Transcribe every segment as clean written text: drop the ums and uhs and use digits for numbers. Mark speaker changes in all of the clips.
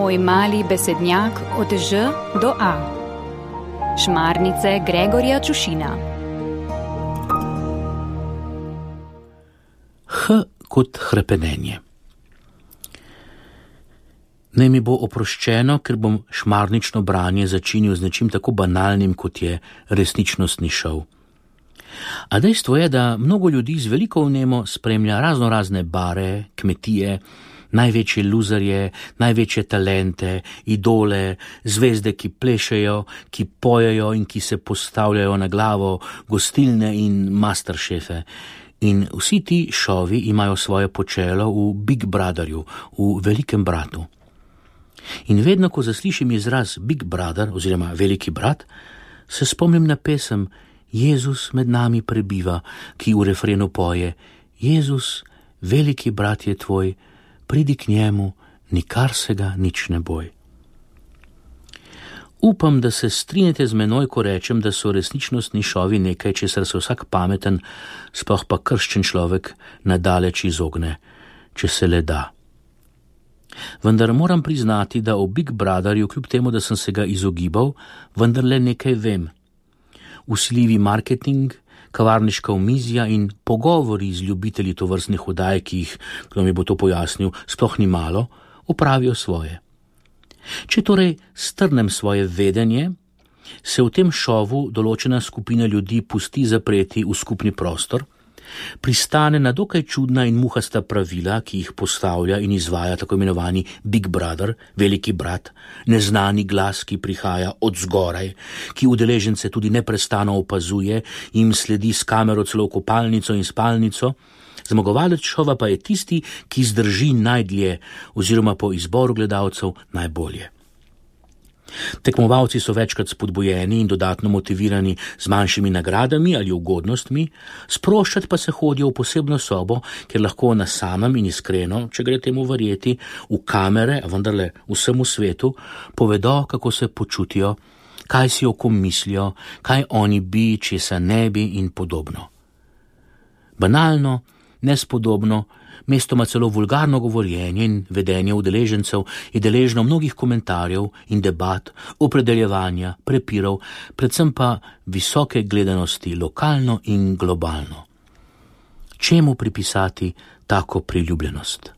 Speaker 1: Tvoj mali besednjak od Ž do A. Šmarnice Gregorja Čušina.
Speaker 2: H kot hrepenenje. Naj mi bo oproščeno, ker bom šmarnično branje začinil z nečim tako banalnim, kot je resničnostni šov. A dejstvo je, da mnogo ljudi z veliko vnemo spremlja razne bare, kmetije, največje luzerje, največje talente, idole, zvezde, ki plešejo, ki pojejo in ki se postavljajo na glavo, gostilne in masterchefe. In vsi ti šovi imajo svoje počelo v Big Brotherju, v velikem bratu. In vedno, ko zaslišim izraz Big Brother oziroma veliki brat, se spomnim na pesem Jezus med nami prebiva, ki v refrenu poje: Jezus, veliki brat je tvoj, pridi k njemu, nikar se ga nič ne boj. Upam, da se strinjate z menoj, ko rečem, da so resničnostni šovi nekaj, česar se vsak pameten, sploh pa krščen človek nadaleč izogne, če se le da. Vendar moram priznati, da o Big Brotherju, kljub temu, da sem se ga izogibal, vendar le nekaj vem. Vsiljivi marketing, kavarniška omizja in pogovori z ljubitelji tovrstnih oddaj, ki jih, kdo mi bo to pojasnil, sploh ni malo, opravijo svoje. Če torej strnem svoje vedenje, se v tem šovu določena skupina ljudi pusti zapreti v skupni prostor, pristane na dokaj čudna in muhasta pravila, ki jih postavlja in izvaja tako imenovani Big Brother, veliki brat, neznani glas, ki prihaja od zgoraj, ki udeležence tudi neprestano opazuje, jim sledi s kamero celo v kopalnico in spalnico. Zmagovalec šova pa je tisti, ki zdrži najdlje oziroma po izboru gledalcev najbolje. Tekmovalci so večkrat spodbujeni in dodatno motivirani z manjšimi nagradami ali ugodnostmi, sproščati pa se hodijo v posebno sobo, kjer lahko na samem in iskreno, če gre temu verjeti, v kamere, a vendarle vsemu svetu, povedo, kako se počutijo, kaj si o kom mislijo, kaj oni bi, česa ne bi in podobno. Banalno, nespodobno, mestoma celo vulgarno govorjenje in vedenje udeležencev je deležno mnogih komentarjev in debat, opredeljevanja, prepirov, predvsem pa visoke gledanosti lokalno in globalno. Čemu pripisati tako priljubljenost?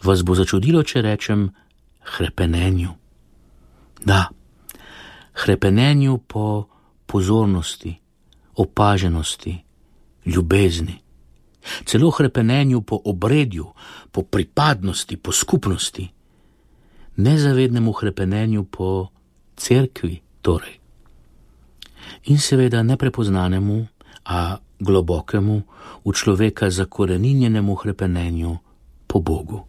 Speaker 2: Vas bo začudilo, če rečem hrepenenju. Da, hrepenenju po pozornosti, opaženosti, ljubezni. Celo hrepenenju po obredju, po pripadnosti, po skupnosti. Nezavednemu hrepenenju po cerkvi, torej. In seveda neprepoznanemu, a globokemu, v človeka zakoreninjenemu hrepenenju po Bogu.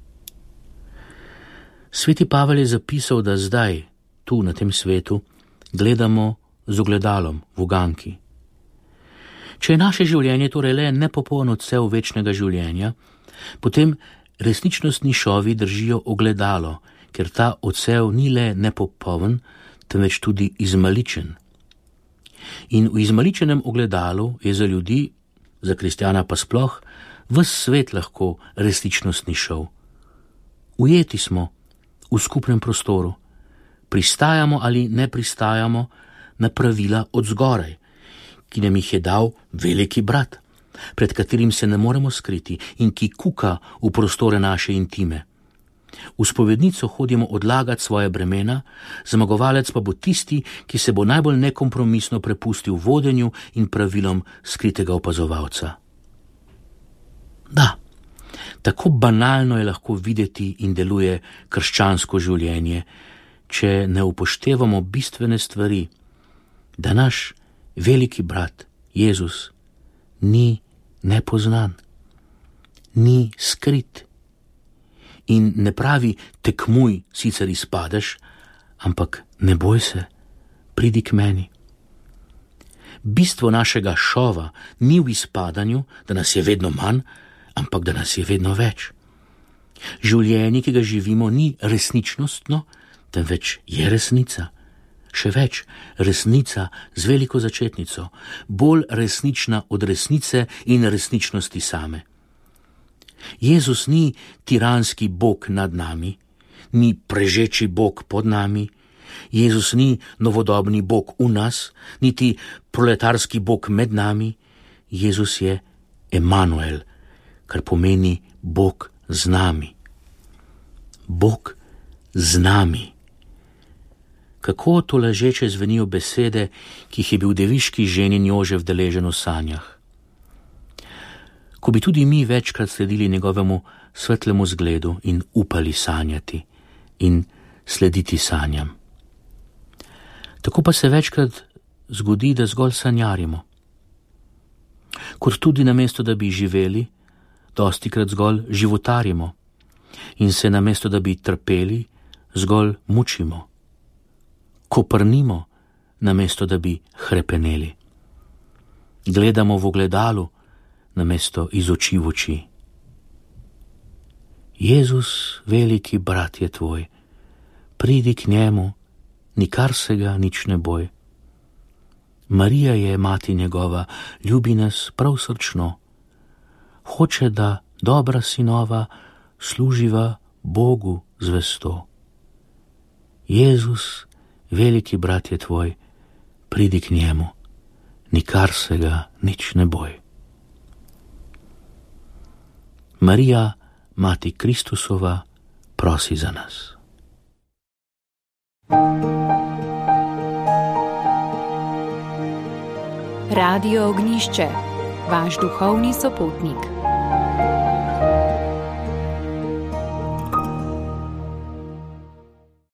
Speaker 2: Sveti Pavel je zapisal, da zdaj, tu na tem svetu, gledamo z ogledalom v uganki. Če je naše življenje torej le nepopoln odsev večnega življenja, potem resničnostni šovi držijo ogledalo, ker ta odsev ni le nepopoln, temveč tudi izmaličen. In v izmaličenem ogledalu je za ljudi, za kristjana pa sploh, ves svet lahko resničnostni šov. Ujeti smo v skupnem prostoru, pristajamo ali ne pristajamo na pravila od zgoraj, ki nam jih je dal veliki brat, pred katerim se ne moremo skriti in ki kuka v prostore naše intime. V spovednico hodimo odlagati svoje bremena, zmagovalec pa bo tisti, ki se bo najbolj nekompromisno prepustil vodenju in pravilom skritega opazovalca. Da, tako banalno je lahko videti in deluje krščansko življenje, če ne upoštevamo bistvene stvari, da naš veliki brat, Jezus, ni nepoznan, ni skrit in ne pravi tekmuj, sicer izpadeš, ampak ne boj se, pridi k meni. Bistvo našega šova ni v izpadanju, da nas je vedno manj, ampak da nas je vedno več. Življenje, ki ga živimo, ni resničnostno, temveč je resnica. Še več, resnica z veliko začetnico, bolj resnična od resnice in resničnosti same. Jezus ni tiranski Bog nad nami, ni prežeči Bog pod nami, Jezus ni novodobni Bog v nas, niti proletarski Bog med nami. Jezus je Emanuel, kar pomeni Bog z nami. Bog z nami. Kako to ležeče zvenijo besede, ki jih je bil deviški ženin Jožef deležen v sanjah. Ko bi tudi mi večkrat sledili njegovemu svetlemu zgledu in upali sanjati in slediti sanjam. Tako pa se večkrat zgodi, da zgolj sanjarimo. Kot tudi namesto, da bi živeli, dostikrat zgolj životarimo in se namesto, da bi trpeli, zgolj mučimo. Koprnimo, namesto, da bi hrepeneli. Gledamo v ogledalu, namesto iz oči v oči. Jezus, veliki brat je tvoj, pridi k njemu, nikar se ga nič ne boj. Marija je mati njegova, ljubi nas prav srčno. Hoče, da dobra sinova služiva Bogu zvesto. Jezus, veliki brat je tvoj, pridi k njemu, nikar se ga nič ne boj. Marija, mati Kristusova, prosi za nas.
Speaker 1: Radio Ognišče, vaš duhovni sopotnik.